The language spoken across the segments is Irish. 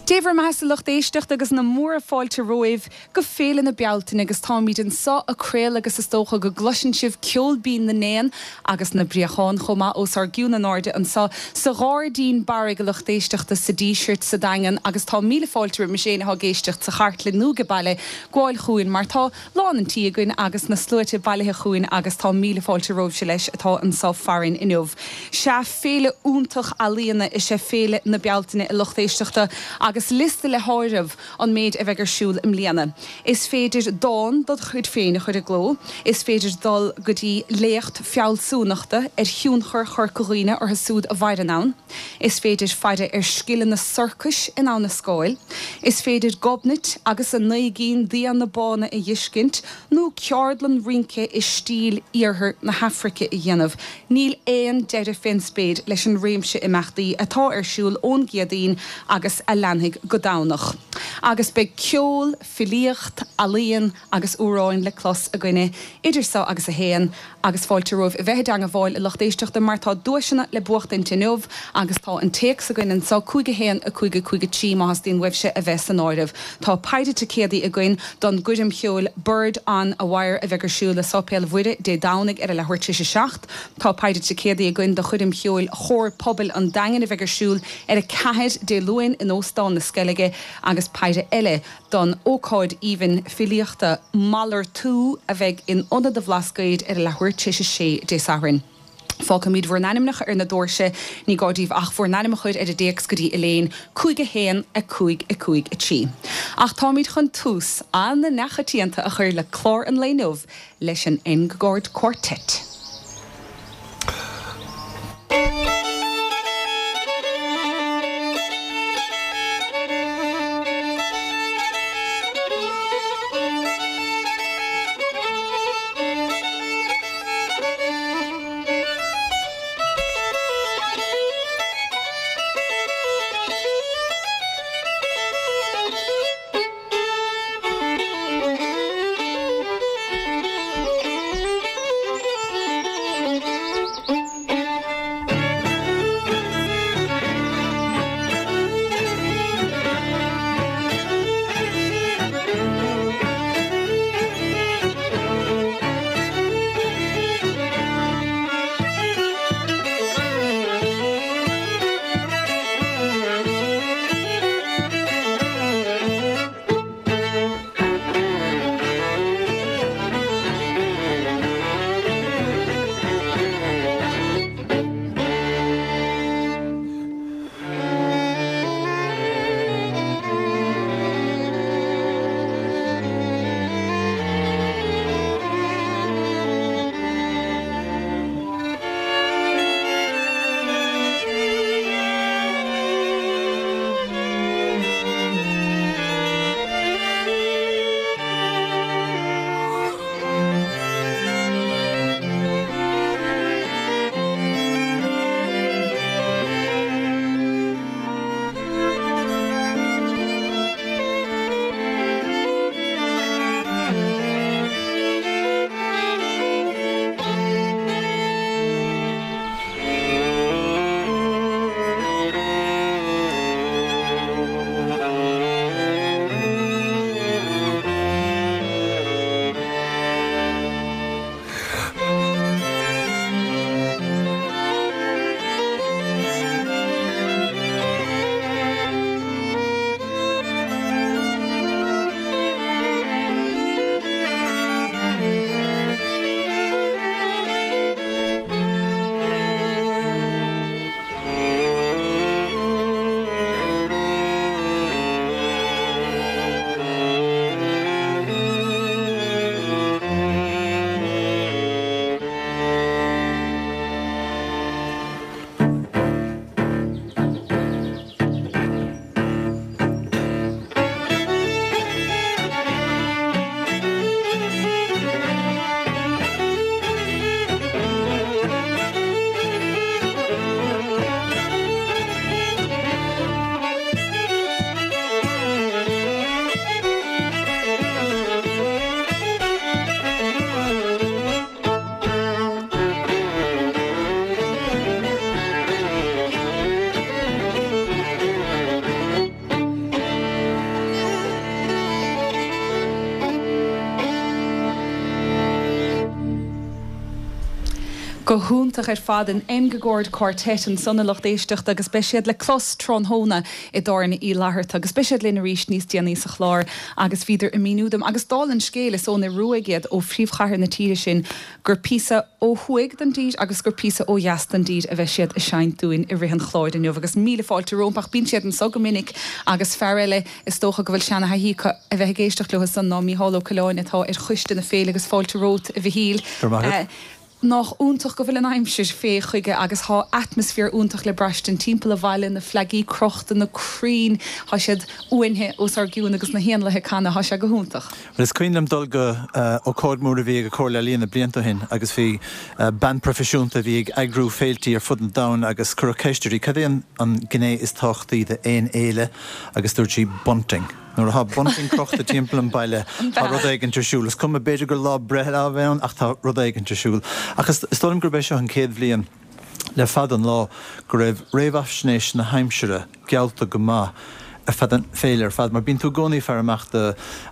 Dé bhur mbeathasa a lucht éisteachta agus na múra fáilte romhaibh go Féile na Bealtaine agus táimid anso ag craoladh agus is dócha go gcloiseann sibh ceol binn na n-éan agus na bpréachán chomh maith os ár gcionn in airde anso sa Ghairdín Barraigh a lucht éisteachta sa Díseart sa Daingean agus tá míle fáilte roimis éinne atá ag éisteacht sa chartlann nó age baile gabháil chugainn mar tá lán an tí againn agus na sluaite bailithe chugainn agus tá míle fáilte romhaibhse leis atá anso farainn inniu. Sea, féile iontach ealaíona is ea Féile na Bealtaine a lucht éisteachta agus liosta le háireamh an méid a bheidh ar siúl i mbliana. Is féidir dán dod chuid féin a chur i gcló, is féidir dul go dtí léacht fealsúnachta ar thionchar Chorca Dhuibhne orthu súd a mhaireann ann, Is féidir faire ar scileanna sorcais in Abha na Scáil. Is féidir Gobnait agus a naoi gcinn d'fhianna bána a dh'fheiscint, nó ceardlann rince i stíl iarthar na hAfraice a dhéanamh. Níl aon deireadh fén spéir leis an réimse imeachtaí atá ar siúl ón gCéadaoin agus a leanfaidh go Domhnach. Agus beidh ceol, filíocht, ealaíon agus amhráin le clos againne idir so agus a haon agus fáilte romhaibh a bheith i dteangabháil a lucht éisteachta mar tá duaiseanna le buachtaint inniu agus tá an téacs againn anso, 5 1 5 5 3 má theastaíonn uaibhse a bheith san áireamh. Tá péire ticéadaí againn don gcoirm cheoil Bird on a Wire a bheidh ar siúl i Sáipéal Mhuire Dé Domhnaigh ar a leathuair tar éis a 7. Tá péire ticéadaí againn do choirm cheoil Chór Pobail an Daingin a bheidh ar siúl ar 4 Dé Luain in Óstán na Sceilge agus péire eile don ócáid aoibhinn filíochta 'Malartú' a bheidh in Ionad an Bhlascaoid ar a leathuair tar éis a sé Dé Sathairn. Fágfaimid bhur n-ainmneacha ar na doirse, ní gá daoibh ach bhur n-ainm a chur ar an dtéacs go dtí Elaine, 5 1 5 5 3. Ach táimid chun tús an-neachoitianta a chur le clár an lae inniu leis an Engegård Quartet. Go hiontach ar fad, an Engegård Quartet ansan a lucht éisteachta agus beidh siad le clos tráthnóna i dTábhairne Uí Fhlatharta agus beidh siad linn arís níos déanaí sa chlár agus bhíodar ag míniú dom agus dála an scéil is ón Ioruaidh iad ó phríomhchathair na tíre sin gur píosa ó thuaidh den dtír agus gur píosa ó dheas den dtír a bheidh siad ag seinnt dúinn i rith an chláir inniu agus míle fáilte rompu ach bíonn siad anso go minic agus fear eile Is dócha go bhfuil seana-thaithí acu a bheith ag éisteacht leo san ná Mícheál Ó Coileáin atá ar choiste na féile agus fáilte romhat a Mhichíl. Go raibh maith agat. Nách iontach go bhfuil an aimsir fé chuige agus thá atmaisféar iontach le braistint timpeall an bhaile, na fleagaí crochta, na crainn, thá siad uainthe os ár gcionn agus na héanlaithe ag canadh, thá sé go hiontach. Bhuel is cuimhin liom dul go ócáid mór a bhí ag an Chomhairle Ealaíona blianta ó shin agus bhí bean proifisiúnta a bhí ag eagrú féiltí ar fud an domhain agus cuireadh ceist uirthi cad é an gné is tábhachtaí d'aon fhéile agus dúirt sí bunting. Nuair atá bunting crochta timpeall an baile tá rud éigint ar siúl. Is cuma, b'fhéidir gur lá breithe a bheith ann ach tá rud éigint ar siúl. Ach is dóigh liom gurb é seo an chéad bhliain le fada an lá go raibh réamhaisnéis na haimsire geallta go maith ar feadh an féile ar fad mar bíonn tú i gcónaí ag faire amach do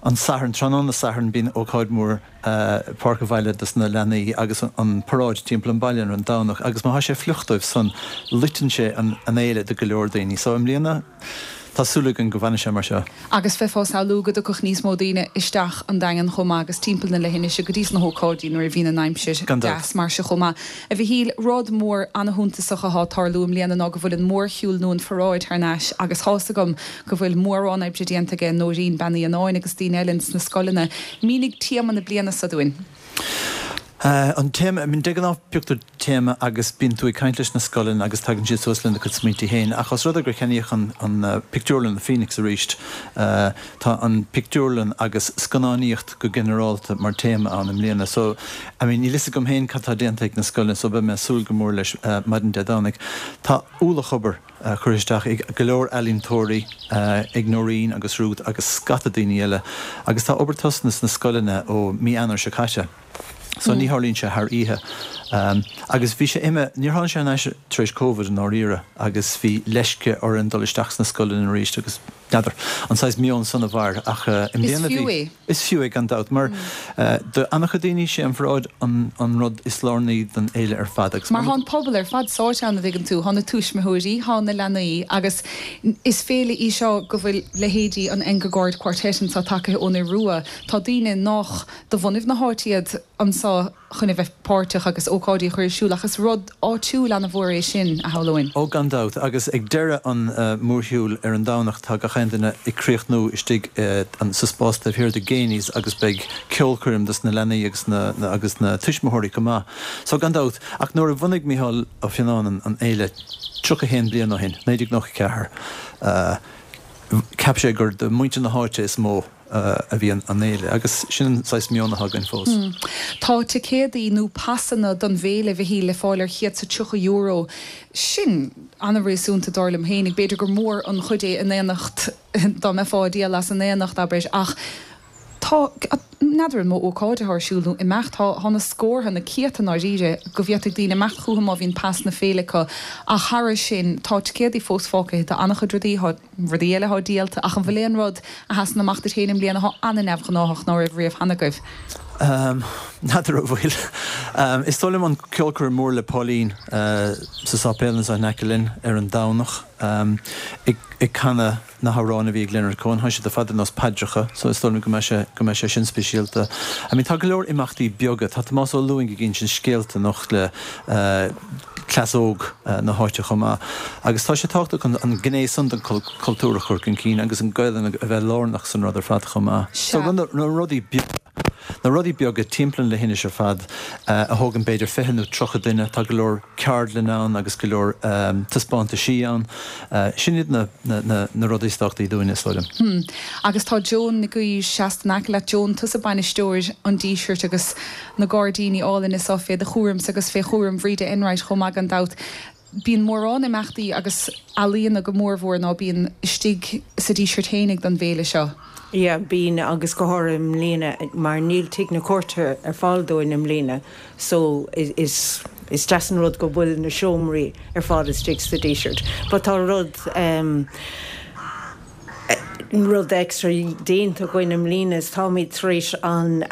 an Satharn, tráthnóna Sathairn bíonn ócáid mhór Páirc an Bhaile dos na leanaí agus an paráid timpeall an baile ar an Domhnach agus má thá sé fliuch dóibh san, loiteann sé an fhéile do go leor daoine. So i mbliana tá súil againn go bhfanfaidh sé mar seo. Agus bheifeá ag samhlú go dtiocfadh níos mó daoine isteach an Daingean chomh maith agus timpeall na leithinise go dtí sna hócáidí nuair a bhíonn an aimsir Gan dabht. deas mar seo chomh maith. A Mhichíl, rud mór ana-shuntasach athá ag tarlú i mbliana ná go bhfuil an mórshiúl nó an pharáid thar n-ais agus thá's agam go bhfuil mórán oibre déanta aige Nóirín Bean Uí Annáin agus daoine eile ins na scoileanna. Mínigh téama na bliana seo dúinn. An téama, I mean, de ghnáth pioctar téama agus bíonn tú ag caint leis na scoileanna agus tagann siad suas lena gcuid smaointe féin ach os rud é gur ceannaíodh an an pictiúrlann, an Phoenix arís, tá an pictiúrlann agus scannánaíocht go ginearálta mar téama ann i mbliana. So, I mean, níl fhios agam féin cad tá déanta ag na scoileanna so beidh mé ag súil go mór leis maidin Dé Domhnaigh. Tá ualach obair. curtha isteach ag go leor ealaíontóirí, ag Noreen agus Ruth agus scata daoine eile agus tá obair tosnaithe sna scoileanna ó mí Eanáir seo caite so ní tharlaíonn sé thar oíche. Agus bhí sé imithe, níor tháinig sé thar n-ais tar éis Covid i ndáiríre agus bhí leisce orainn dul isteach sna scoileanna arís agus n'fheadar an saghas meon san a mhair ach i mbliana bhí. Is fiú é. Is fiú é gan dabht mar do an-chuid daoine sé an pharáid an rud is lárnaí don fhéile ar fad agus Mar thá an pobal ar fad sáite ann, a dtuigeann tú, thá na tuismitheoirí, thá na leanaí agus is féile í seo go bhfuil leithéidí an Engegård Quartet anseo tagaithe ón Iorua, tá daoine nách de bhunaibh na háite iad anseo. chun a bheith páirteach agus ócáidí a chur ar siúl ach is rud áitiúil ana-mhór é sin, a shamhlóinn. Ó gan dabht, agus ag deireadh an mhórshiúil ar an Domhnach tá gach aon duine ag críochnú istigh sa spás taobh thiar de Geaney's agus beidh ceolchoirm dos na leanaí agus na agus na tuismitheoirí chomh maith. So gan dabht, ach nuair a bhunaigh Micheál Ó Fionnáin an fhéile 31 bliain ó shin, 1994, cheap sé gur do mhuintir na háite is mó a bhí an fhéile agus sin an saghas meon atá againn fós. Tá ticéadaí nó pasanna don bhféile, a Mhichíl, le fáil ar €130. Sin ana-réasúnta dar liom féinig. B'fhéidir gur mór an chuid é in aonacht, dá mbeifeá ag díol as in aonacht, abair, ach tá, n'fheadar an mó ócáid atá ar siúl nó imeacht, tá, tá na scórtha, na céadta i ndáiríre, go bhféadfaidh daoine imeacht chucu má bhíonn pas na féile acu. Ach thairis sin, tá ticéadaí fós fágtha d'an-chuid rudaí, tá. rudaí eile athá díolta, ach an bhfuil aon rud a sheasann amach duit féin i mbliana athá ana-neamhghnáthach ná raibh riamh cheana agaibh? N'fheadar an bhfuil. Is dóigh liom an ceolchoirm mór le Pauline sa sáipéal anseo in aice linn ar an Domhnach ag canadh na hamhráin a bhí ag Leonard Cohen. Tá siad ar fad ar nós paidreacha so is dóigh liom go mbeidh sé go mbeidh sé sin speisialta. I mean tá go leor imeachtaí beaga. Tá Tomás Ó Lúing ag insint scéalta anocht le cleas óg na háite chomh maith. Agus tá sé tábhachtach an gné san den chultúr a chur chun cinn agus an Ghaelainn a bheith lárnach san rud ar fad chomh maith. So na rudaí beaga, na rudaí beaga timpeall an leithinis ar fad a thógann b'fhéidir 20 nó 30 duine, tá go leor ceardlann ann agus go leor taispeántaisí ann. Sin iad na na rudaí is tábhachtaí dúinne, is dóigh liom. Agus tá Joan Nic Aoidh seasta in aice leat. Joan, tusa bainisteoir an Dísirt agus na gairdíní álainne seo fé do chúramsa agus fé chúram Bhríde Enright chomh maith gan dabht. Bíonn mórán imeachtaí agus ealaíona go mórmhór ná bíonn istigh sa Díseart fhéinig don bhféile seo. Yeah, bíonn agus go háirithe i mbliana mar níl Tigh na Cúirte ar fáil dúinn i mbliana so is is deas an rud go bhfuil na seomraí ar fáil istigh sa Díseart. But tá rud ehm. Rud extra déanta againn i mbliana is táimid tar éis an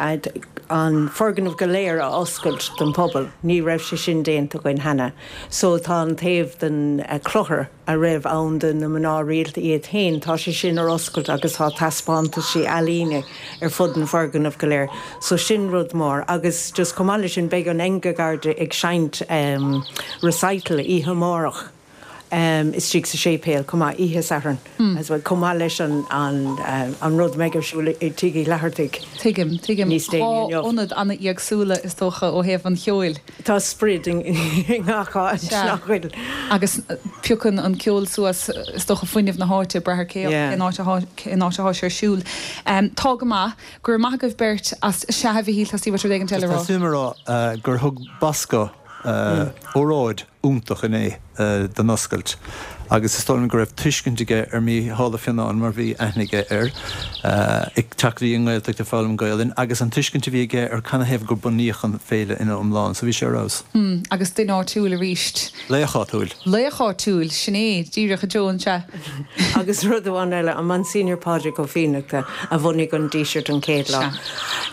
an foirgneamh go léir a oscailt don phobal. Ní raibh sé sin déanta againn cheana. So tá an taobh den clochar a raibh ann do na mná rialta iad féin, tá sé sin ar oscailt agus tá taispeántaisí ealaíne ar fud an foirgneamh go léir. So sin rud mór. Agus just chomh maith leis sin beidh an Engegarde ag seinnt recital oíche amárach. istigh sa séipéal chomh maith, oíche Sathairn as well, chomh maith leis an an rud a mbeidh ar siúl i Tigh Uí Fhlathartaigh Tuigim, tuigim. níos déanaí inniu. Ionad an-éagsúla is dócha ó thaobh an cheoil. Tá sprid i ngach áit, nach bhfuil? Agus piocann an ceol suas is dócha fuinneamh na háite, ag brath ar cé cén áit atá cén áit atá sé ar siúl. Tá go maith. Go raibh maith agaibh beirt as, sea a Mhichíl, tá Steve rud éigin eile a rá. Tá suim a rá gur thug Bosco óráid iontach inné don oscailt agus is dóigh liom go raibh tuiscint aige ar Mhícheál Ó Fionnáin mar bhí aithne aige air, ag teacht go dtí an nGaeltacht ag foghlaim Gaolainn agus an tuiscint a bhí aige ar canathaobh gur bunaíodh an féile ina iomlán. So bhí sé ar fheabhas. Agus duine áitiúil arís. Laoch áitiúil. Laoch áitiúil, sin é, díreach a Joan, sea. Agus rud amháin eile, an Monsignor Pádraig Ó Fiannachta a bhunaigh an Díseart an chéad lá.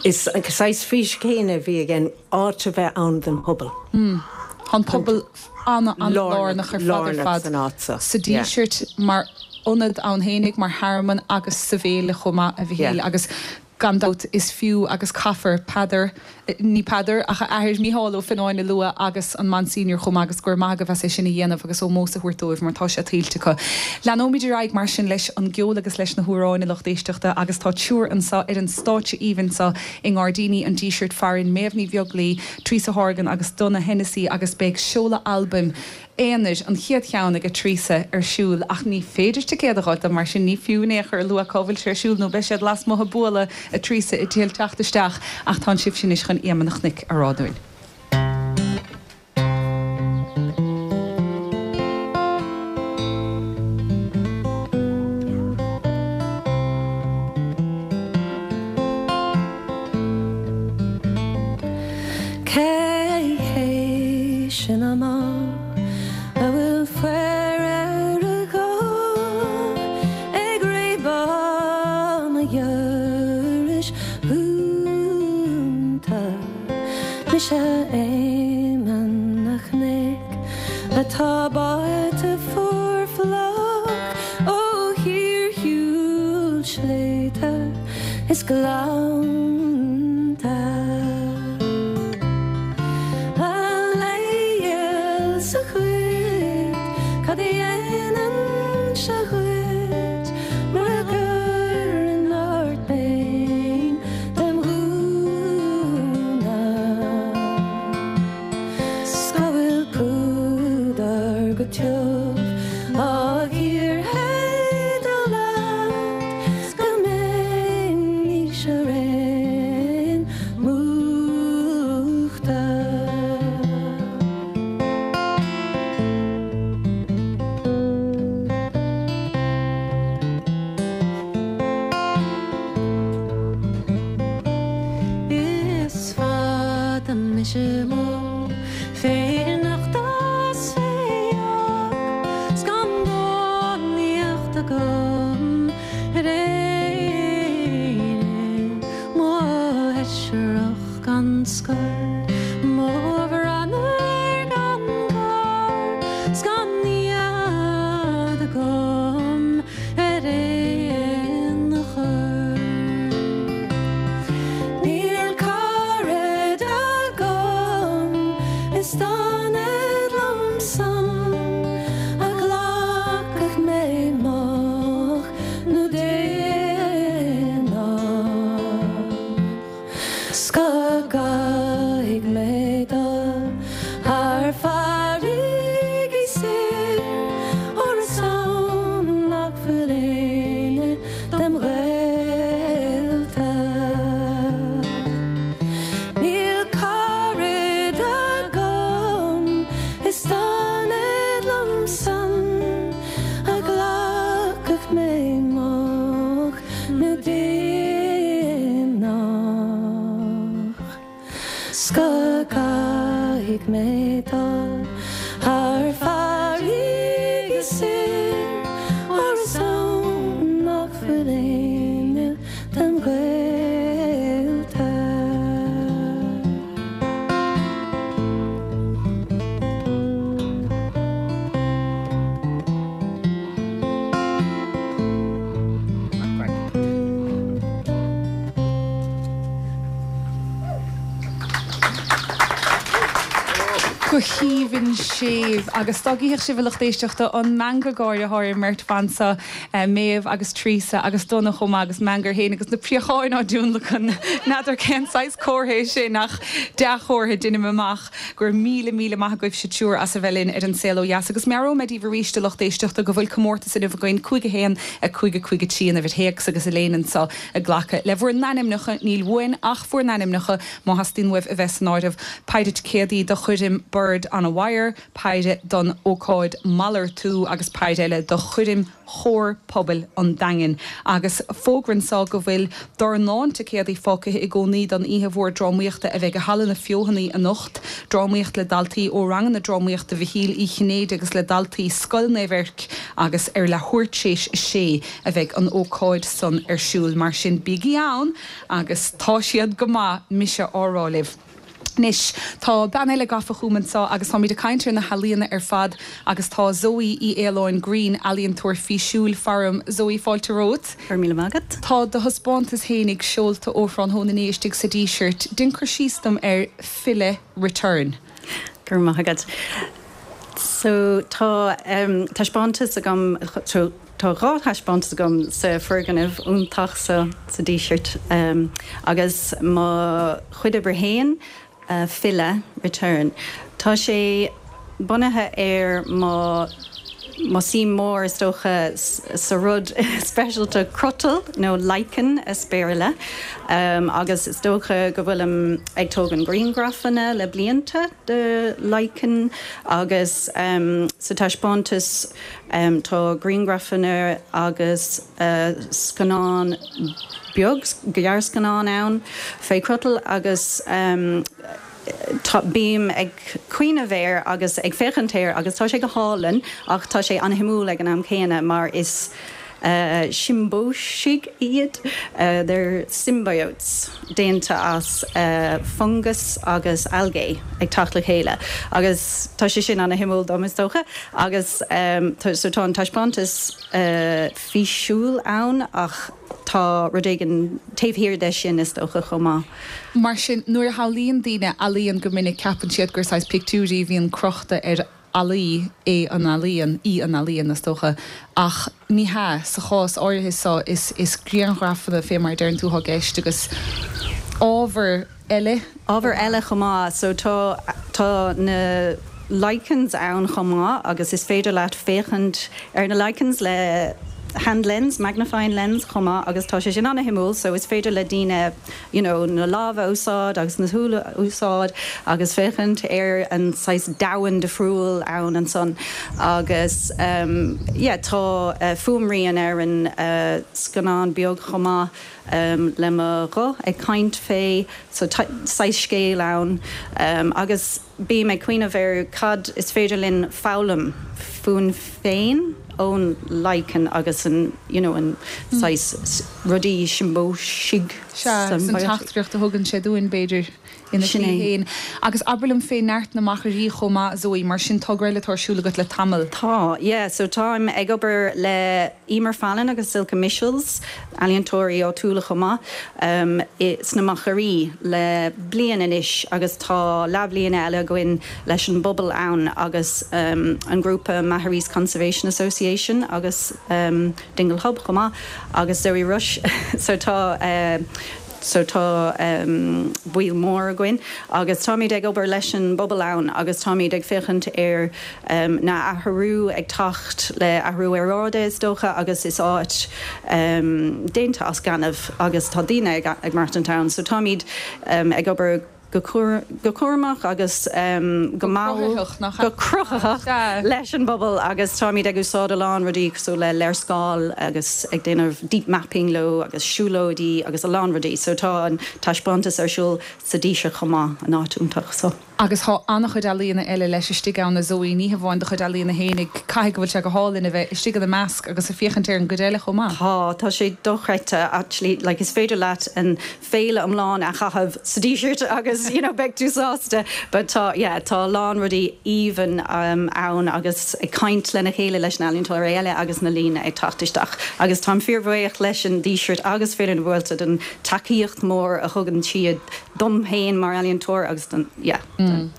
Is saghas fís chéanna a bhí aige. áit a bheith ann don phobal. Tá an pobal an-an-lárnach ar fad ar fad sa Díseart mar ionad ann fhéinig, mar thearmann agus sa bhféile chomh maith, a Mhichíl, agus gan dabht is fiú agus caithfear Peadar, ní Peadar ach a athair Mícheál Ó Fionnáin a lua agus an Monsignor chomh maith agus go raibh maith agaibh as é sin a dhéanamh agus ómós a thabhairt dóibh mar tá sé tuillte acu. Leanóimid ar aghaidh mar sin leis an gceol agus leis na hamhráin, a lucht éisteachta, agus tá triúr anseo ar an stáitse aoibhinn seo I nGairdíní an Dísirt farainn, Méabh Ní Bheaglaoi, Treasa Horgan agus Donogh Hennessy agus beidh seoladh albaim aonair, an chéad cheann aige Treasa, ar siúl ach ní féidir ticéad a dh'fháil dó mar sin ní fiú in aon chor a lua cá bhfuil sé ar siúl nó beidh siad lasmuigh ag bualadh a Treasa ag triail teacht isteach ach tánn sibhse anois chun Ema na Cnoic a rá dúinn. Cé hé sin amuigh a bhfuil faobhar ar a ghuth ag réabadh mo dhorais dhúnta? Mise Éamonn na Cnoic atá báite fuar fliuch ó shíorshiúl sléibhte is gleannta. A leigheas a dhuit, cad a dhéanfainnse dhuit mura gcuirfinn ort féin dem ghúna 's go bhfuil púdar go tiubh á shíorshéideadh leat 's go mbeimis araon múchta. Is fada mise amuigh fé nochtadh 's fé dheoch 's gan dánaíocht agam ar éinne mo sheisreach gan scor mo bhranar gan gor 's gan nead agam ar aon chor. Níl caraid agam is d'fhanfad liom san a ghlacfadh mé moch nó déanach. 'S go gcaithfidh mé dul thar farraigí soir, óir is ann nach bhfuil éinne dem ghaolta. Níl caraid agam is d'fhanfad liom san a ghlacfadh mé moch nó déanach 's go gcaithfidh mé dul thar farraigí soir óir is ann nach bhfuil aon Go haoibhinn séimh. Agus dá gcífeadh sibh, a lucht éisteachta, an meangadh gáire atá ar an mbeirt bhan seo, Méabh agus Teresa agus Donagh chomh maith agus meangadh air féin agus na préacháin á dtionlacan. N'fheadar cén saghas comhartha é sin ach dea-chomhartha, deinim amach. Go raibh míle, míle maith agaibhse triúr as a bheith linn ar An Saol Ó Dheas. Agus meabhróidh mé daoibh arís, a lucht éisteachta, go bhfuil comórtas inniu againn, 5 1 5 5 3 an uimhir théacs agus Elaine anseo ag glacadh le bhur n-ainmneacha, níl uainn ach bhur n-ainmneacha, má theastaíonn uaibh a bheith san áireamh. Péire ticéadaí do choirm Bird on a Wire, péire don ócáid Malartú agus péire eile do choirm Chór Pobail an Daingin. Agus fógra anseo go bhfuil dornán ticéadaí fágtha i gcónaí don oíche mhór drámaíochta a bheidh i Halla na Feothanaí anocht, drámaíocht le daltaí ó ranganna drámaíochta Mhichíl Uí Chinnéide agus le daltaí Scoil Naomh Eirc agus ar leathuair tar éis a sé a bheidh an ócáid san ar siúl. Mar sin bígí ann agus tá siad go maith, mise á rá libh. Anois, tá bean eile gafa chugam anseo agus táimid ag caint ar na healaíona ar fad agus tá Zoe Uí Fhaoláin Greene, ealaíontóir físiúil, faram. Zoe, fáilte romhat. Go raibh míle maith agat. Tá do thaispeántas fhéinig seolta ó thráthnóna inné istigh sa Díseart. Déan cur síos dom ar Filleadh Return. Go raibh maith agat. So tá taispeántas agam, so tá 2 thaispeántas agam sa foirgneamh iontach seo sa Díseart agus mo chuid oibre fhéin, Filleadh, Return. Tá sé bunaithe ar mo mo suim mór is dócha sa rud speisialta crotal nó lichen as Béarla agus is dócha go bhfuilim ag tógaint grianghrafanna le blianta de lichen agus sa taispeántas tá grianghrafanna agus scannán beag, gearrscannán ann fé chrotal agus tá, bím ag cuimhneamh air agus ag féachaint air agus tá sé go hálainn ach tá sé an-shuimiúil ag an am céanna mar is siombóisigh iad, they're symbiotes, déanta as fungas agus algae ag teacht le chéile agus tá sé sin an-shuimiúil dom is dócha agus so tá an taispeántas físiúil ann ach tá rud éigin taobh thiar de sin is dócha chomh maith. Mar sin, nuair a shamhlaíonn daoine ealaíon go minic ceapann siad gur saghas pictiúirí a bhíonn crochta ar fhallaí é an ealaíon, í an ealaíon, is dócha. Ach ní hea, sa chás áirithe seo is is grianghrafanna, fé mar a deireann tú, atá i gceist agus ábhar eile. Ábhar eile chomh maith. So tá tá na lichens ann chomh maith agus is féidir leat féachaint ar na lichens le hand lens, magnifying lens chomh maith agus tá sé sin an-shuimiúil so is féidir le daoine you know na lámha a úsáid agus na súile a úsáid agus féachaint ar an saghas domhan difriúil ann ansan agus ehm yeah tá fuaimrian ar an scannán beag chomh maith ehm le mo ghuth ag caint fé so saghas scéal ann ehm agus Bím ag cuimhneamh ar cad is féidir linn foghlaim fúinn féin ón lichen agus an you know an saghas rudaí siombóisigh. Sea, agus an teachtaireacht a thugann sé dúinn, b'fhéidir, ina Sin shlí é. féin. Agus abair liom fé Neart na Machairí chomh maith, Zoe, mar sin togra eile atá ar siúl agat le tamall. Tá, yeah. So táim ag obair le Emer Fallon agus Silke Michels, ealaíontóirí áitiúla chomh maith, sna Machairí le bliain anois agus tá leathbhliain eile againn leis an bpobal ann agus an grúpa Maharees Conservation Association agus Dingle Hub chomh maith agus Zoe Rush so tá so tá baill mór againn agus táimid ag obair leis an bpobal ann agus táimid ag féachaint ar na athrú ag teacht le athrú aeráide is dócha agus is áit déanta as gaineamh agus tá daoine ag maireachtaint ann so táimid ag obair go cúramach agus go mall, go cruthaitheach leis an bpobal agus táimid ag úsáid a lán rudaí cosúil le léarscáil agus ag déanamh deep mapping leo agus siúlóidí agus a lán rudaí so tá an taispeántas ar siúl sa Díseart chomh maith, an áit iontach so. Agus tá an-chuid ealaíona eile leis istigh ann, a Zoe, ní hamháin do chuid ealaíona fhéinig. Caithfidh go bhfuil sé go hálainn a bheith istigh ina measc agus ag féachaint ar an gcuid eile chomh maith. Tá, tá sé dochreidte actually, like is féidir leat an féile iomlán a chaitheamh sa Díseart agus you know beidh tú sásta but tá yeah tá a lán rudaí aoibhinn ann agus ag caint lena chéile leis na ealaíontóirí eile agus na daoine ag teacht isteach agus táim fíorbhuíoch leis an Díseart agus Féile na Bealtaine don tacaíocht mór a thugann siad dom féin mar ealaíontóir agus don, yeah.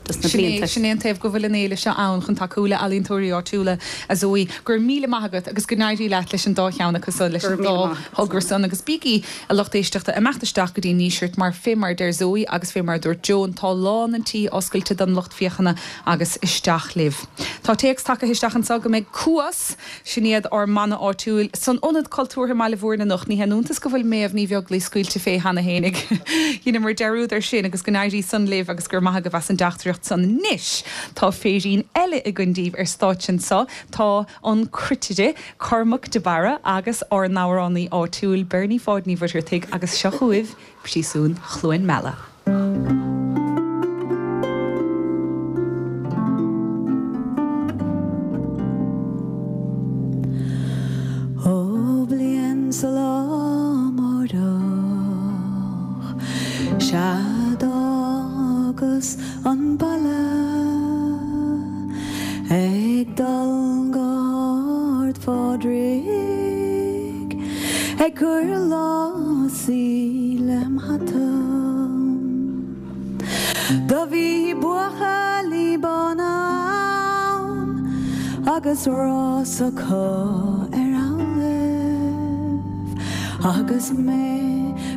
dos na blianta. Sin é an taobh go bhfuil an fhéile seo ann chun tacú le ealaíontóirí áitiúla, a Zoe. Go raibh míle maith agat agus go n-éirí leat leis an dá cheann acu san, leis an dá thogra san agus bígí, a lucht éisteachta, ag imeacht isteach go dtí an nDíseart mar fé mar a deir Zoe agus fé mar a dúirt Joan, tá lán an tí oscailte don lucht féachana agus isteach libh. Tá téacs tagtha isteach anseo go mbeidh Cuas, Sin iad ár mbanna áitiúil san Ionad Cultúrtha i mBaile Bhúirne anocht. Ní haon iontas go bhfuil Méabh Ní Bheaglaoich scaoilte fé cheana fhéinig. Dheineamar dearúd ar sin agus go n-éirí san libh agus go raibh maith agaibh as an dteachtaireacht san. Anois tá féirín eile againn daoibh ar stáitse anso. Tá an cruitire, Cormac de Barra agus ár n-amhránaí áitiúil, Bernie Pháid Ní Mhuircheartaigh agus seo chugaibh Príosún Chluain Meala. Ó bliain sa lá amárach sea d'fhágas an baile ag dul go hArd Phádraig ag cur lásaí lem hata. Do bhí buachaillí bána ann agus rás acu ar amhlaidh agus mé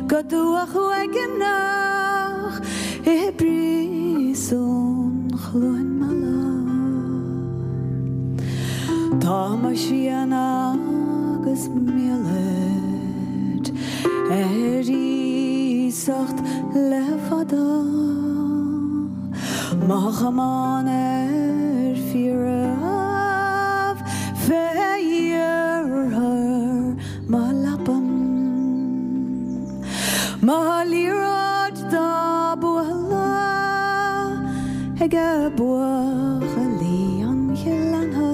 go dubhach uaigneach i bpríosún Chluain Meala. Tá mo shrian agus m'allaid ar iasacht le fada, mo chamán ar fiaraibh fé iarthar mo leapan. Mo liathróid dá bualadh age buachaillí an ghleanna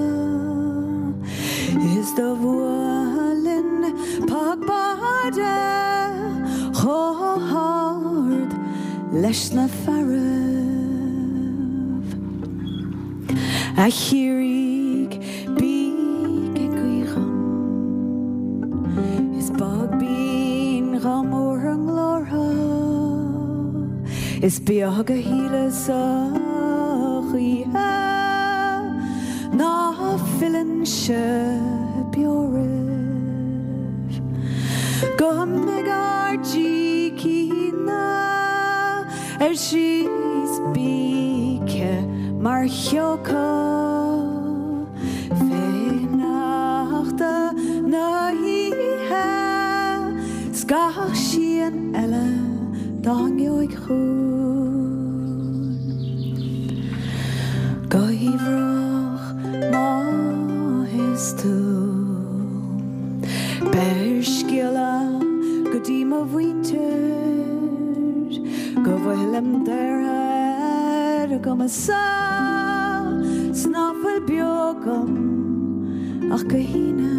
is do bhuailinn pac báide chomh hard leis na fearaibh. A Chiarraígh, bíg ag guí dhom, Is bog binn dhom bhur nglórtha, Is beag a shíleas-sa choíche Ná fillfinnse beo roimh Go mbeidh ár gcícín Ar síos bígthe mar shióca fé sneachta na hoíche 's gach síon eile dá ngeobhaidh chugainn go hiamhrach má théas tú. Beir scéala go dtí mo mhuintir go bhfuilim daortha ar a gcumas-sa 's ná fuil beo agam ach go hAoine.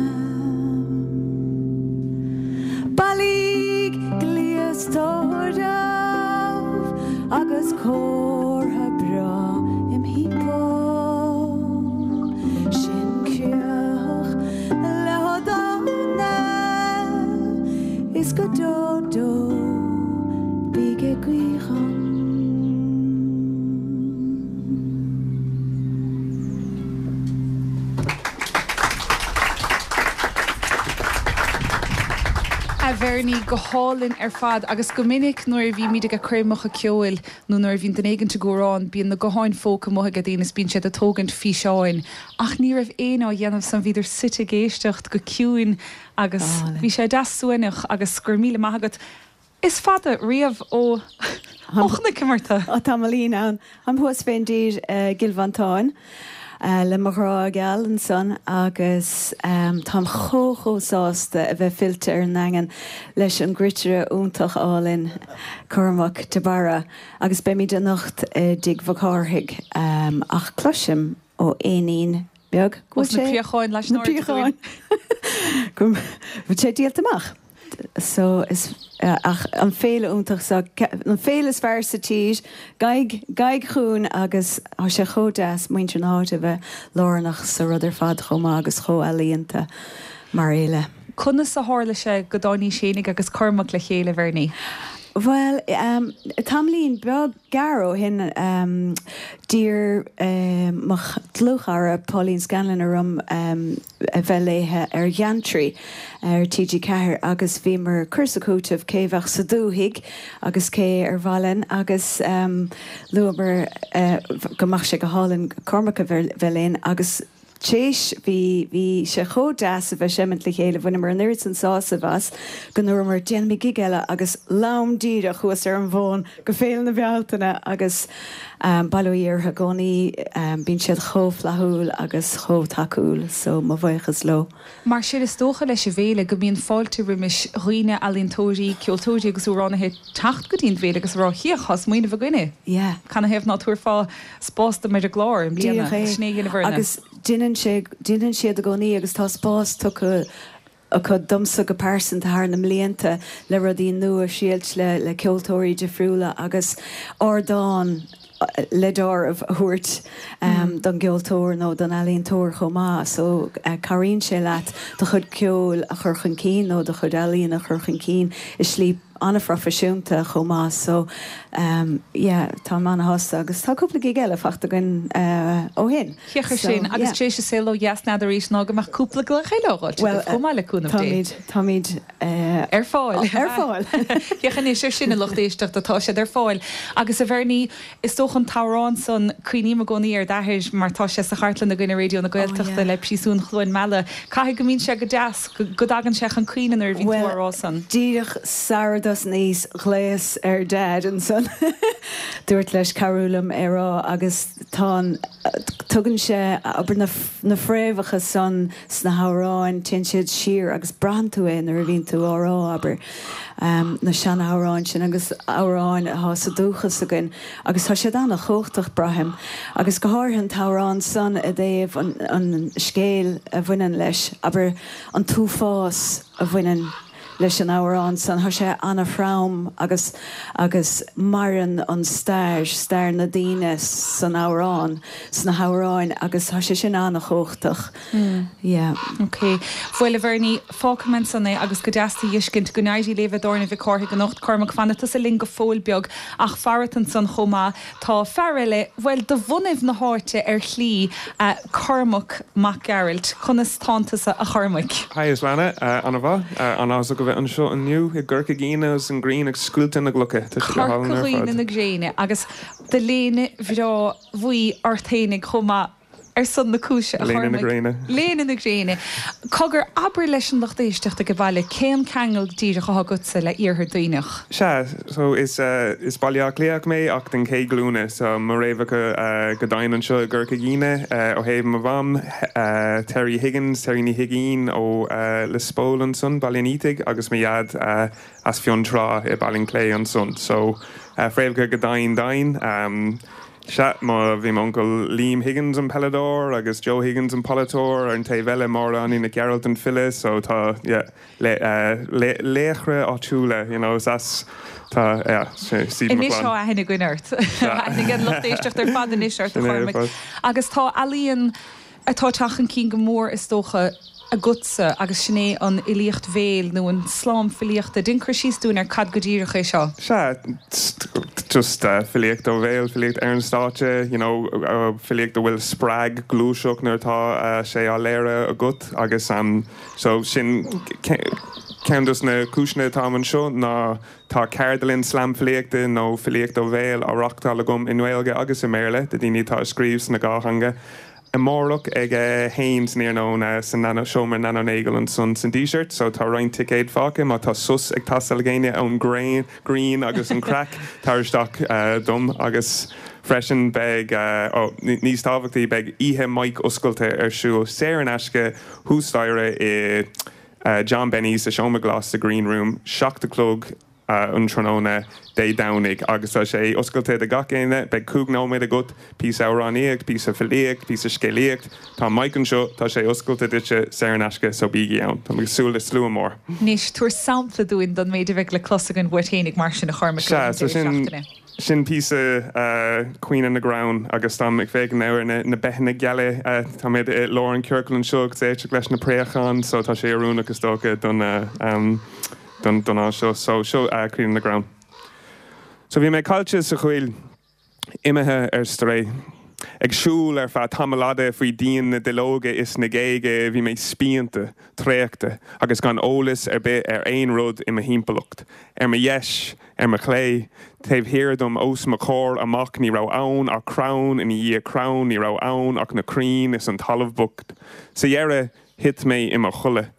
Bailigh gléas tórraimh agus comhartha breá im thimpeall. Sin críoch le Ó Dónaill is go deo deo bíg ag guí dhom. A Bhernie, go hálainn ar fad agus go minic nuair a bhímid ag coirmeacha ceoil nó nuair a bhíonn duine éigint ag amhrán bíonn na gutháin phóca amuigh ag daoine is bíonn siad ag tógaint físeáin ach ní raibh éinne á dhéanamh san, bhíodar suite ag éisteacht go ciúin agus bhí sé deas suaimhneach agus go raibh míle maith agat. Is fada riamh ó ó chonaiceamar tú. Tá tamaillín ann. Táim thuas fén dtír i gCill Mhantáin le mo ghrá geal ansan agus táim chomh chomh sásta a bheith fillte ar an nDaingean leis an gcruitire iontach álainn Cormac de Barra agus beimid anocht i dTigh Mhic Cárthaigh ach cloisim ó éinín beag go bhfuil sé na Préacháin leis na Préacháin go bhfuil sé díolta amach. So is ach an féile iontach so an féile is fearr sa tír gabhaigí gabhaigí chugainn agus tá sé chomh deas muintir na háite a bheith lárnach sa rud ar fad chomh maith agus chomh ealaíonta mar fhéile. Conas a tharla sé go dtáinís fhéinig agus Cormac le chéile, Bhernie? Bhuel, tamaillín beag gearr ó shin, d'iarr mo dhlúthchara Pauline Scanlon orm a bheith léithe ar Gheantraí ar TG4 agus bhíomar ag cur is ag cúiteamh cé a bheadh sa dúthaigh agus cé ar mhaith linn agus luamar go mbeadh sé go hálainn Cormac a bheith linn agus Théis, bhí, bhí sé chomh deas a bheith seimint le chéile, bhaineamar an oiread san sásaimh as go ndúramar déanfaimid gig eile agus lam díreach thuas ar an bhfón go Féile na Bealtaine agus bail ó Dhia orthu i gcónaí, bíonn siad chomh flaithiúil agus chomh tacúil so mo bhuíochas leo. Mar sin is dócha leis an bhféile go mbíonn fáilte roimis dhaoine, ealaíontóirí, ceoltóirí agus amhránaithe teacht go dtí an bhféile agus a rá 'Féach, tá smaoineamh againne, Yeah. Canathaobh ná tabharfá spás dom ar an gclár i mbliana? Díreach é. Sin é a dhéanamh orainne. Agus déanann sé, déanann siad i gcónaí agus tá spás tugtha acu domsa go pearsanta thar na mblianta le rudaí nua a thriailt le, le ceoltóirí difriúla agus ardán le deáramh a thabhairt don gceoltóir nó don ealaíontóir chomh maith. So cabhraíonn sé leat do chuid ceoil a chur chun cinn nó do chuid ealaíon a chur chun cinn i slí an-phroifisiúnta chomh maith. So yeah, táim an-shásta agus tá cúpla gig eile fachta againn ó shin. Féach ar sin, agus tar éis an saol ó dheas n'fheadar arís ná go mbeadh cúpla glaoch eile á dh'fháilt agaibh chomh maith le cúnamh Dé. Táimid, táimid. Ar fáil. Ar fáil. Féach anois ar sin, a lucht éisteachta, tá siad ar fáil. Agus a Bhernie, is dócha an t-amhrán san, cuimhním i gcónaí ar d'athair mar tá sé sa chartlann againn i Raidió na Gaeltachta le Príosún Chluain Meala. Caithfidh go mbíonn sé go deas, go dtagann sé chun cuimhne nuair a bhíonn tú á rá san. Bhuel, díreach sara dtosnaíos, ghlaos ar Dad ansan. Dúirt leis cabhrú liom é rá agus tá an, tugann sé, abair, na, na fréamhacha san Sna hamhráin, téann siad siar agus braitheann tú é nuair a bhíonn tú á rá, abair, na seanamhráin sin agus amhráin atá sa dúchas againn agus tá siad an-chumhachtach, braithim. Agus go háirithe an t-amhrán san i dtaobh an, an scéil a bhaineann leis, abair, an t-uafás a bhaineann leis an amhrán san, tá sé an-throm agus, agus maireann an stair, stair na daoine san amhrán, sna hamhráin agus tá sé sin an-chumhachtach. Yeah. Ok. Bhuel, a Bhernie, fágfaidh mé ansan é agus go deas tú a dh'fheiscint. Go n-éirí libh i dTábhairne Mhic Cárthaigh anocht. Cormac, fanfaidh tusa linn go fóill beag ach farat ansan chomh maith tá fear eile, bhuel, de bhunaibh na háite ar shlí, Cormac Mac Gearailt. Conas tánn tusa, a Chormaic? Haigh, a Shláine. An-mhaith. An-áthasach a bheith anseo inniu i gCorca Dhuibhne agus an ghrian ag scoilteadh na gclocha. Tá sé go hálainn ar fad. Corca Dhuibhne na gréine agus do léine bhreá bhuí ort fhéinig chomh maith. Ar son na cúise, a Léine na Chormaic. gréine. Léine na gréine. Cogar, abair leis an lucht éisteachta ag baile cén ceangal díreach atá agatsa le Iarthar Duibhneach? Sea, so is is Baile Átha Cliathach mé ach den chéad ghlúin. So mo fhréamhacha go domhain anseo i gCorca Dhuibhne. Ó thaobh mo mham, Terry Higgins, Terry Ní Huigínn ó Lios Póil ansan, Baile an Fhiataigh, agus mo dhaid as Fionntrá i Baile an Chlé ansan. So fréamhacha go domhain domhain. Sea, mo, bhí m'uncail Liam Higgins, an peileadóir, agus Joe Higgins, an polaiteoir, ar an taobh eile, Máire Annie Nic Gearailt, an file, so tá, yeah, le, le, laochra áitiúla, you know, is as, tá, yeah, is iad mo Anois chlann. tá aithne againn ort. Tá aithne ag an lucht éisteachta ar fad anois ort, a Sin é ar Chormaic. fad. Agus tá ealaíon atá ag teacht chun cinn go mór, is dócha, agatsa agus sin é an fhilíocht bhéil nó an slam filíochta. Déan cur síos dúinn ar cad go díreach é seo. Sea, just filíocht ó bhéal, filíocht ar an stáitse, you know, filíocht a bhfuil spreag gluaiseacht nuair atá sé á léiriú agat agus so sin ceann dos na cúiseanna atáim anseo ná tá ceardlann slam filíochta nó filíocht ó bhéal á reachtáil agam i nGaeilge agus i mBéarla do daoine atá ag scríobh sna dhá theanga. Amárach ag a haon san iarnóin sa Seomra Nano Nagle ansan san Díseart so tá roinnt ticéad fágtha má tá sos ag teastáil ag éinne ón ghrian agus an craic tar isteach dom agus freisin beidh ó níos tábhachtaí beidh oíche mic oscailte ar siúl saor in aisce thuas staighre i John Benny's sa Seomra Glas sa Green Room 7 a chlog um tráthnóna Dé Domhnaigh agus tá sé oscailte do gach éinne. Beidh 5 nóiméad agat, píosa amhránaíocht, píosa filíocht, píosa scéalaíocht. Tá an mic anseo, tá sé oscailte duitse, saor in aisce, so bígí ann. Táim ag súil le slua mór. Anois, tabhair sampla dúinn don méid a bheidh le clos againn uait fhéinig mar sin, a Chormaic, le linn Sea, so sin, deireadh seachtaine. sin píosa Caoineadh na gCrann agus táim ag féachaint ar na beithe geala. Táimid i lár an chiorcail anseo agus éisteacht leis na préacháin, so tá sé oiriúnach is dócha don, don dán seo. So, seo Caoineadh na gCrann. So bhí mé caillte sa choill, imithe ar strae. Ag siúl ar feadh tamall fhada faoi dhíon na duilleoga is na géaga, bhí mé spíonta, traochta agus gan eolas ar bith ar aon rud i mo thimpeallacht. Ar mo dheis, ar mo chlé, taobh thiar dom, os mo chomhair amach, ní raibh ann ach crann ina dhiaidh crann, ní raibh ann ach na crainn is an talamh bocht. Sa dheireadh, Thit mé i mo chodladh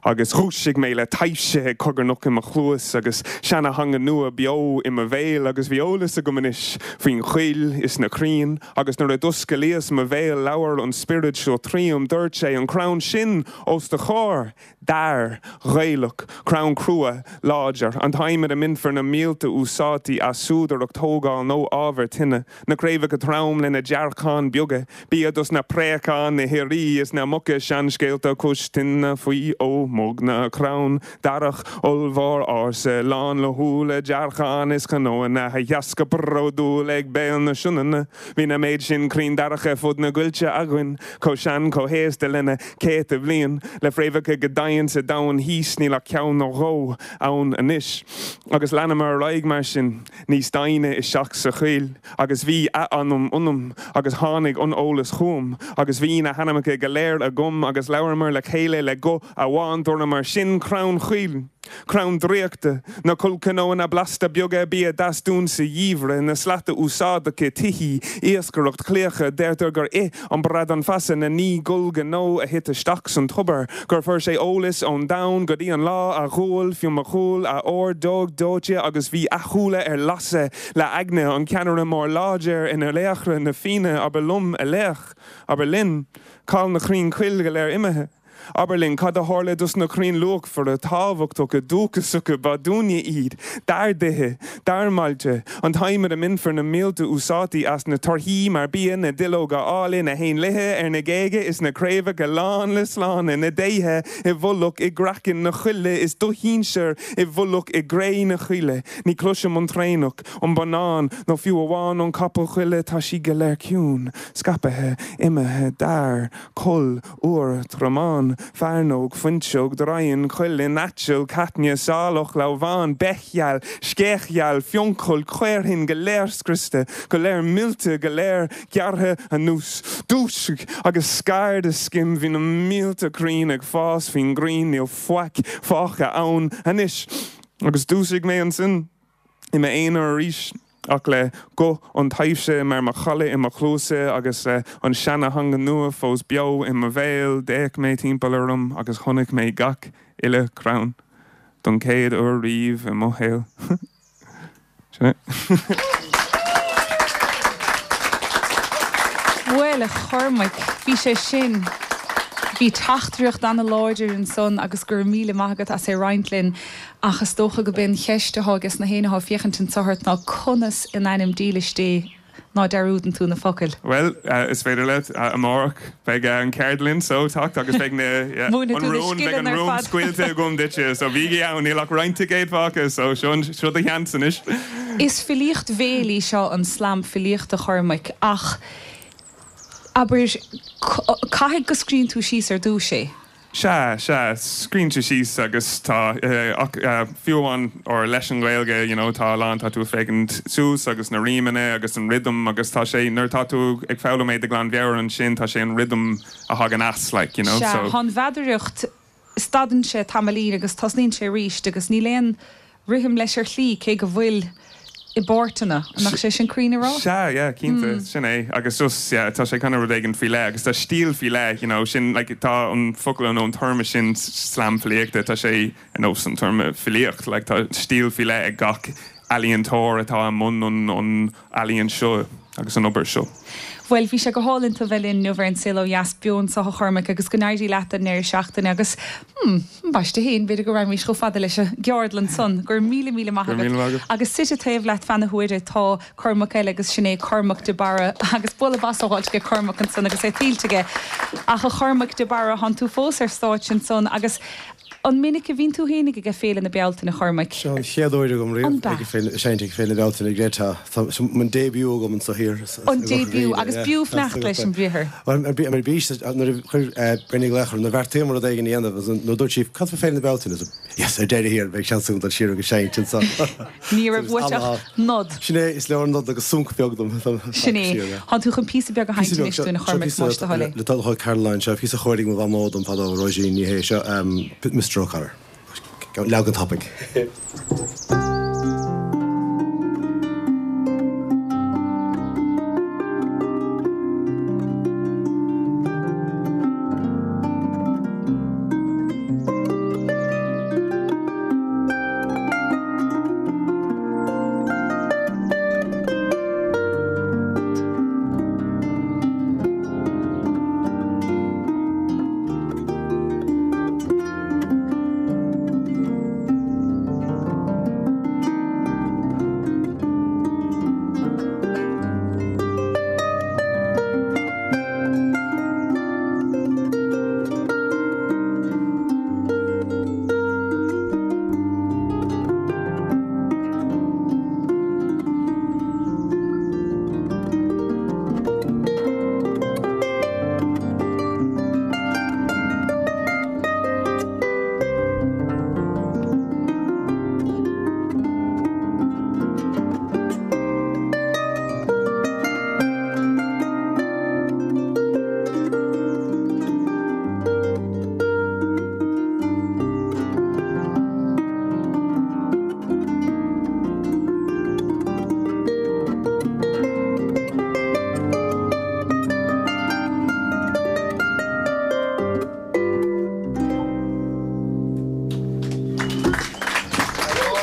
agus dhúisigh mé le taibhse ag cogarnach i mo chluas agus seana-theanga nua beo i mo bhéal agus bhí eolas agam anois faoin choill is na crainn agus nuair a d'osclaíos mo bhéal labhair an spiorad seo tríom, dúirt sé, an crann sin os do chomhair, dair Ghaelach, crann crua, láidir, an t-adhmad a mbainfear na mílte úsáidtí as súdaireacht, tógáil nó ábhar tine. Na craobhacha trom lena dearcáin beaga, bia dos na préacháin, na hioraí is na muca, seanscéalta cois tine faoi ómóg na crann darach ollmhór ársa, lán le húlla, dearcáin is cnóanna a sheas go bródúil ag béal na Sionainne. Bhí na méid sin crainn darach ar fud na gcoillte againn, chomh sean chomh haosta lena céadta bliain, le fréamhacha go domhain sa domhan thíos, níl ach ceann nó dhó ann anois. Agus leanamar ar aghaidh mar sin. níos doimhne isteach sa choill, agus bhí a anam ionam, agus tháinig an eolas chugam, agus bhí na hainmneacha go léir agam, agus labhramar le chéile le guth amháin, dúramar, Sin crann coill, crann draíochta, na collchnónna blasta beaga, bia deas dúinn sa gheimhreadh, na slata úsáideacha, tithí, iascaireacht, claíocha, deirtear gur ith an bradán feasa na naoi gcollchnó a thit isteach san tobar, gur fuair sé eolas ón domhan go dtí an lá a ghual Fionnmhac Cumhaill a ordóg dóite agus bhí a shúile ar lasadh le heagna, an ceannaire mór láidir ina laochra na Fianna, abair liom, a laoch, abair linn, cá'il na crainn coill go léir imithe? Abair linn cad a tharla dos na crainn luachmhara, tábhachtacha, dúchasacha, ba dúinne iad, dár dtithe, dár mbailte, an t-adhmad a mbainfear na mílte úsáidtí as, na torthaí mar bia, na duilleoga áille, na héanlaithe ar na géaga is na craobhacha lán le sláine, na déithe i bhfolach i gcraiceann na coille is do shinsir i bhfolach i gcré na coille. Ní chloisim an traonach, an bonnán nó fiú amháin an capall coille, tá siad go léir ciúin, scaipthe, imithe, dair, coll, iúr, tromán, fearnóg, fuinseog, draighean, cuileann, aiteal, caithne, saileach, lamhán, beithgheal, sceach gheal, fionnchoill, caorthann, go léir scriosta, go léir millte, go léir gearrtha anuas. Dúisigh agus scar do scim, bhí na mílte crainn ag fás faoin ngrian, níl faic fágtha ann anois. Agus dhúisigh mé ansin. i m'aonar arís, ach le guth an taibhse mar mhacalla i mo chluasa agus le an seana-theanga nua fós beo i mo bhéal, d'fhéach mé timpeall orm agus chonaic mé gach uile chrann don chéad uair riamh i mo shaol. Sin é. Bhuel, a Chormaic, bhí sé sin, bhí teachtaireacht ana-láidir ansan agus go raibh míle maith agat as é roinnt linn. Ach is dócha go b'é an cheist atá ages na héinne atá ag féachaint anso ort ná conas in ainm dílis Dé ná dearúdann tú na focail? Bhuel, is féidir leat, amárach beidh an cheardlann so teacht agus beidh na, yeah, Múinfidh an tú na rún, beidh an scileanna ar rún fad. scaoilte agam duitse, so bígí ann, níl ach roinnt ticéad fágtha, so seo, seo do sheans anois. Is filíocht bhéil í seo, an slam filíochta, a Chormaic, ach abair, caithfidh go scríonn tú síos ar dtúis é? Sea, sea, scríonn tú síos agus tá, ach fiú amháin, or leis an Ghaeilge, you know, tá a lán, tá tú ag féachaint suas agus na rímeanna agus an rhythm agus tá sé, nuair atá tú ag foghlaim é de ghlanmheabhair ansin, tá sé an rhythm a thagann as, like, you know, Sea, so. tá an mheadaracht, stadann sé tamaillín agus tosnaíonn sé arís agus níl aon rithim leis ar shlí, cé go bhfuil i bpáirteanna. An mbeadh sé sin cruinn a rá? Sea, yeah, cinnte, sin é. Agus just, yeah, tá sé kind of rud éigin faoi leith agus tá stíl faoi leith, you know, sin, like, tá an focal nó an téarma sin slam filíochta, tá sé ar nós an téarma filíocht, like, tá stíl faoi leith ag gach ealaíontóir atá i mbun an, an ealaíon seo agus an obair seo. Bhuel, bhí sé go hálainn tú a bheith linn inniu ar An Saol Ó Dheas beo anseo a Chormaic agus go n-éirí leat don ndeireadh seachtaine agus, hmm, ambaiste féin, b'fhéidir go raghaimís chomh fada leis an gceardlann san. Go raibh míle míle maith Go raibh míle maith agat. agat. Agus suite taobh leat feadh na huaire tá Cormac eile agus sin é Cormac de Barra agus bualadh bos á fháilt ag Cormac ansan agus é tuillte aige. Ach a Chormaic de Barra, thánn tú fós ar stáitse ansan agus. An minic a bhíonn tú fhéinig ag Féile na Bealtaine, a Chormaic? Seo an chéad uair agam riamh An b'ea? ag féile, seinnt ag Féile na Bealtaine i gCreeta. Tá seo mo debut agam anso thiar i An gCorca debut, Dhuibhne, agus yeah. b'fhiú fanacht leis an bhriathar. Bhuel, ar ar bís, nuair a chuir Bernie glaoch orm, nuair a bheartaíomar rud éigin a dhéanamh, agus nuair a dúirt sí, cad fá Féile na Bealtaine? Arsa, Yes, ar deireadh thiar, beidh seans agam dul siar agus seinnt anso. Ní raibh uait ach nod. Sin é, is leor nod agus sonc beag dom. Sin é. Tánn tú chun píosa beag a sheinnt anois dúinn, a Chormaic, más do thoil é. Le do thoil Caroline, seo píosa a chóirigh mo mhamó dom fadó, Róisín Ní Shé, seo Mr O'Connor. Leagan tapaidh.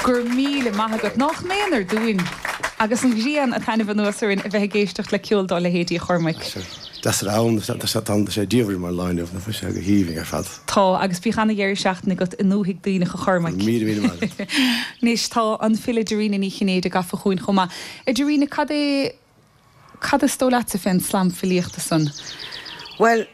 Go raibh míle maith agat. Nách méanar dúinn agus an ghrian ag taitneamh anuas orainn a bheith ag éisteacht le ceol dá leithéidí, a Chormaic. Deas ar ann, tá sé diamhair mar lá inniu, nach bhfuil sé go haoibhinn ar fad. Tá, agus bíodh ana-dheireadh seachtaine agat i ndúthaigh Duibhneach, a Chormaic. 1000 míle maith agat. Anois, tá an file Dairena Ní Chinnéide gafa chugainn chomh maith. A Dairena, cad é, cad is dóigh leatsa fén slam filíochta san? Bhuel,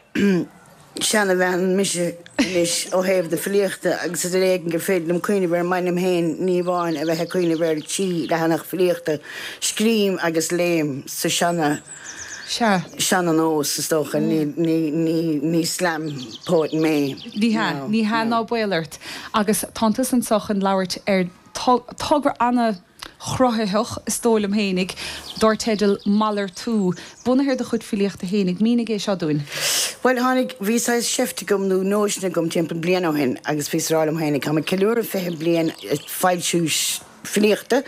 seanabhean mise anois ó thaobh na filíochta agus is ar éigean gur féidir liom cuimhneamh ar m'ainm féin, ní amháin a bheith ag cuimhneamh ar thrí leathanach filíochta. Scríobhaim agus léim sa seana, Sea. seana-nós, is dócha. Ní, ní, ní, ní slam poet mé. Ní hea, ní hea ná baol ort. Agus tánn tusa anso chun labhairt ar togra ana-chruthaitheach, is dóigh liom fhéinig, dár teideal Malartú. Bunaithe ar do chuid filíochta fhéinig, mínigh é seo dúinn. Bhuel, tháinig, bhí saghas seift agam nó nóisean agam timpeall bliain ó shin agus bhíos ag rá liom fhéinig, táim ag ceiliúradh 20 bliain ag foilsiú filíochta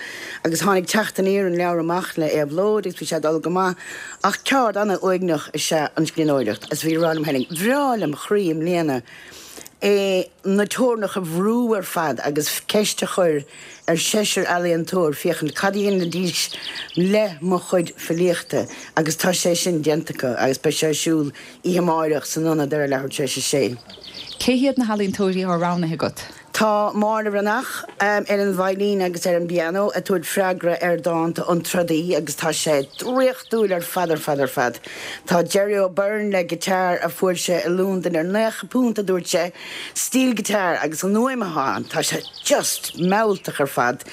agus tháinig Teacht Aniar an leabhar amach le Éabhlóid agus bhí sé ag dul go maith ach ceard ana-uaigneach is ea an scríbhneoireacht agus bhí ag rá liom fhéinig, bhreá lem chroí i mbliana é na teorainneacha a bhrú ar fad agus ceist a chur ar seisear ealaíontóir féachaint cad a dhéanfaidís le mo chuid filíochta agus tá sé sin déanta acu agus beidh sé ar siúl oíche amáireach san ionad ar a leathuair tar éis a sé. Cé hiad na healaíontóirí atá roghnaithe agat? Tá Máire Bhreathnach ar an veidhlín agus ar an bpianó ag tabhairt freagra ar dánta An Trodaí agus tá sé draíochtúil ar fad ar fad ar fad. Tá Jerry O'Byrne le guitar a fuair sé i Londain ar £90 a dúirt sé, steel guitar agus an fhuaim atá ann, tá sé just mealltach ar fad.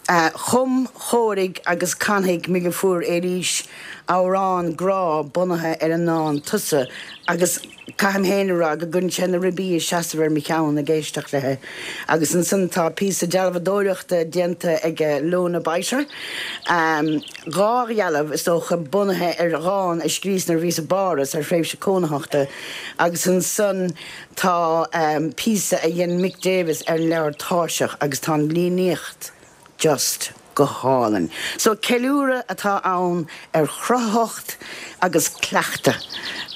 Chum, chóirigh agus canfaidh Miguel Éilís amhrán grá bunaithe ar an ndán 'Tusa' agus caithim féin a rá go gcuireann sé na ribí ag seasamh ar mo cheann ag éisteacht léi. Agus ansan tá píosa dealbhadóireachta déanta ag Lona Biter, dhá dhealbh is dócha bunaithe ar dhán a scríos nuair a bhíos i bPáras ar thréimhse cónaitheachta agus ansan Tá píosa a dhein Mick Davis ar an leabhar Tairseach agus tá an líníocht just go hálainn. So ceiliúradh atá ann ar chruthaitheacht agus cleachtadh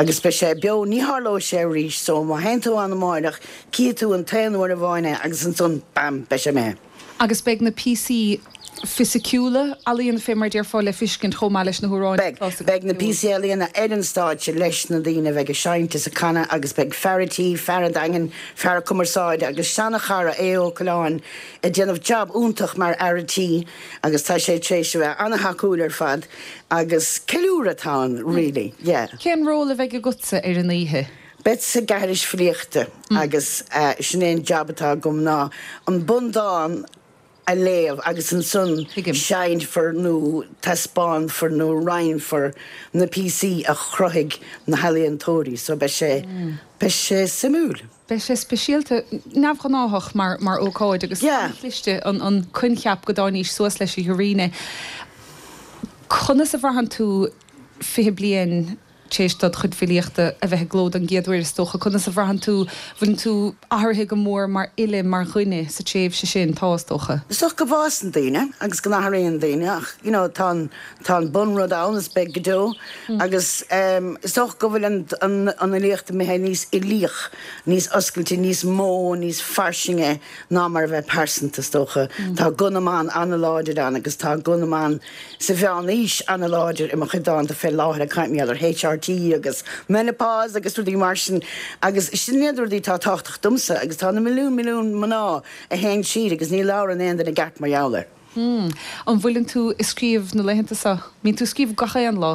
agus beidh sé beo, ní tharlóidh sé arís so má théann tú ann amáireach cífidh tú an t-aon uair amháin é agus ansan bam beidh sé imithe. Agus beidh na píosaí fisiciúla ealaíona, fé mar a déarfá, le fiscint chomh maith leis na hamhráin Beidh. Beidh na píosaí ealaíona ar an stáitse leis na daoine a bheidh ag seinnt is ag canadh agus beidh fear a' tí, fear an Daingin, fear cumarsáide agus seana-chara Aodh Ó Coileáin ag déanamh jab iontach mar fhear a' tí agus tá sé tar éis a bheith ana-thacúil ar fad agus ceiliúradh atá ann really, yeah. Cén ról a bheidh agatsa ar an oíche? Bead sa gceathairis filíochta agus sin é an jab atá agam ná an bundán a léamh agus ansan seinnfear nó taispeánfar nó roinnfear na píosaí a chruthaigh na healaíontóirí so beidh sé, beidh sé suimiúil. Beidh sé speisialta, neamhghnáthach mar mar ócáid agus an-chliste an an coincheap go dtáinís suas leis a Dhoiríne. Conas a bhraitheann tú 20 bliain tar éis dod chuid filíochta a bheith i gcló don gcéad uair is dócha, conas a bhraitheann tú, bhfuileann tú athraithe go mór mar fhile, mar dhuine sa tréimhse sin? Tá, is dócha. Is dócha go bhfásann daoine agus go n-athraíonn daoine ach you know tá an, tá an bunrud ann is beidh go deo agus is dócha go bhfuil an, an, an fhilíocht imithe níos uilíoch, níos oscailte, níos mó, níos fairsinge ná mar a bheith pearsanta is dócha. Tá guth na mban an-láidir ann agus tá guth na mban sa mheánaois an-láidir i mo chuid dánta fé láthair, ag caint mar gheall ar HRT agus menopause agus rudaí mar sin agus sin iad rudaí atá tábhachtach domsa agus tá na milliún milliún mná a théann tríd agus ní labhrann aon duine i gceart mar gheall air. Hmm. An bhfuileann tú ag scríobh na laethanta seo? Mbíonn tú ag scríobh gach aon lá?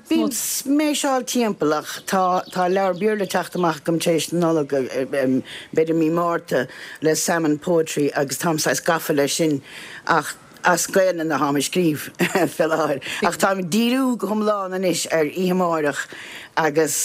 Bím sméiseáil timpeall ach tá tá leabhar Béarla ag teacht amach agam tar éis na Nollag, b'fhéidir mí Márta, le Salmon Poetry agus táim saghas gafa leis sin ach As Gaelainn atáim ag scríobh fé láthair, ach táim ag díriú go hiomlán anois ar oíche amáireach agus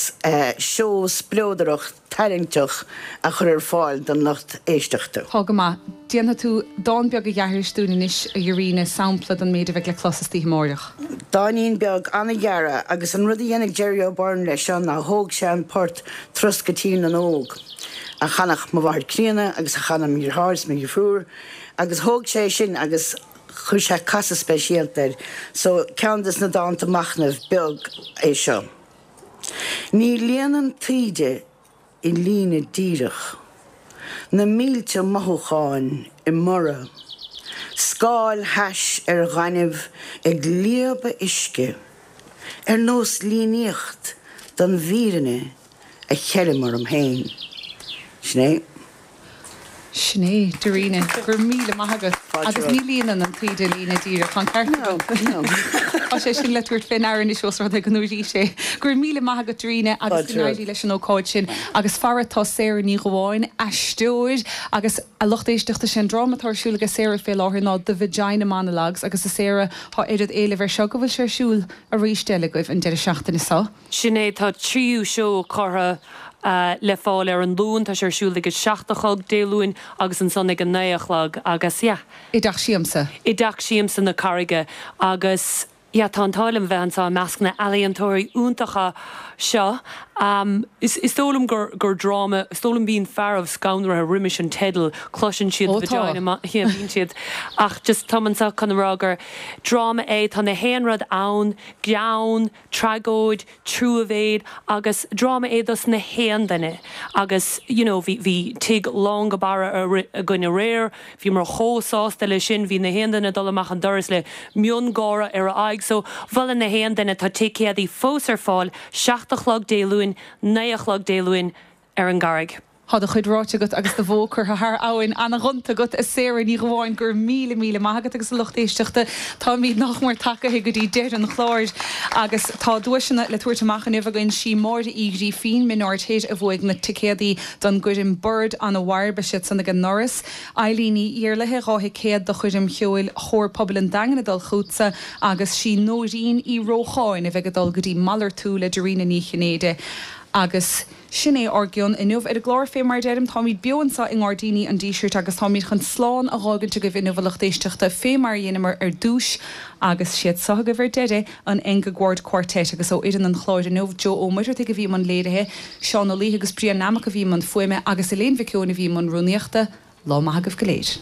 seó spleodarach tarraingteach a chur ar fáil don lucht éisteachta. Tá go maith. Déanfaidh tú dán beag a dh'aithris dúinn anois, a Dhoiríne, sampla den méid a bheidh le clos istoíche amáireach. Dáinín beag an-ghearr agus an rud a dhéanfaidh Jerry O'Byrne leis seo ná thóg sé an port Turas go Tír na nÓg a chanadh mo mháthair críonna agus a chanadh mo dheartháir is mo dheirfiúr, Agus thóg sé sin agus chuir sé casadh speisialta air. So, ceann des na dánta machnaimh beag é seo. Ní líonann taoide i líne díreach, na mílte mothúcháin i mborradh, scáil thais ar ghaineamh ag líobadh uisce, ar nós líníocht den bhfírinne a cheilim orm féin. Sin é. Sin é, Doiríne. Go raibh míle maith agat. Agus ní líonann an taoide líne díreach, tá an ceart agat. No, no. Tá sé sin le tabhairt fé ndeara anois ós rud é go ndúraís é. Go raibh míle maith agat, Doiríne, agus go n-éirí leis an ócáid sin. Agus fara, tá Sarah Ní Dhubháin, aisteoir, agus a lucht éisteachta, sé an dráma atá ar siúl aige Sarah fé láthair ná The Vagina Monologues agus a Sarah, tá oiread éilimh air seo go bhfuil sé ar siúl arís eile agaibh an deireadh seachtaine seo. Sin é, tá tríú seó curtha le fáil ar an Luan, tá sé ar siúl ag a seacht a chlog Dé Luain agus ansan ag a naoi a chlog agus yeah. I dTeach Siamsa. I dTeach Siamsa na Carraige agus yeah tá an t-ádh liom bheith anseo i measc na n-ealaíontóirí iontacha seo. Is dóigh liom gur gur dráma, is dóigh liom bíonn fearaibh scanraithe roimis an teideal, cloiseann siad Ó tá. vagina, yeah bíonn siad ach just táim anseo chun a rá gur dráma é, tá na haon rud ann, greann, tragóid, truamhéil agus dráma é dos na haon duine agus you know bhí bhí tigh lán go barra againn aréir, bhíomar chomh sásta le sin, bhí na haon duine ag dul amach an doras le miongháire ar a aghaidh so mholfainn na haon duine, tá ticéadaí fós ar fáil, 7 a chlog Dé Luain, 9 a chlog Dé Luain ar an gCarraig. Tá do chuid ráite agat agus do bhó curtha thar abhainn. Ana-ghonta agat, a Sarah Ní Dhubháin. Go raibh míle, míle maith agat agus a lucht éisteachta, táimid nach mór tagaithe go dtí deireadh an chláir agus tá duaiseanna le tabhairt amach inniu againn. Sí Máire Uí Ghrífín, Min Ard Thoir, a bhuaigh na ticéadaí don gcoirm Bord an Mhairb, beidh siad san ag an ndoras. Eilín Ní Iarlaithe, 2 thicéad do choirm cheoil Chór Pobail an Daingin ag dul chughatsa agus sí Nóirín Uí Rócháin a bheidh ag dul go dtí Malartú le Dairena Ní Chinnéide agus Sin é ár gcion inniu ar an gclár. Fé mar a deirim, táimid beo anseo i nGairdíní an Dísirt agus táimid chun slán a dh'fhágaint agaibh inniu, a lucht éisteachta, fé mar a dheineamar ar dtúis agus siad seo agaibh ar deireadh, an Engegård Quartet agus ó fhoireann an chláir inniu, Joe Ó Muircheartaigh a bhí i mbun léirithe, Seán Ó Laoithe agus Brian Nammock a bhí i mbun fuaime agus Elaine Mhic Eoin a bhí i mbun rúnaíochta. Lá maith agaibh go léir.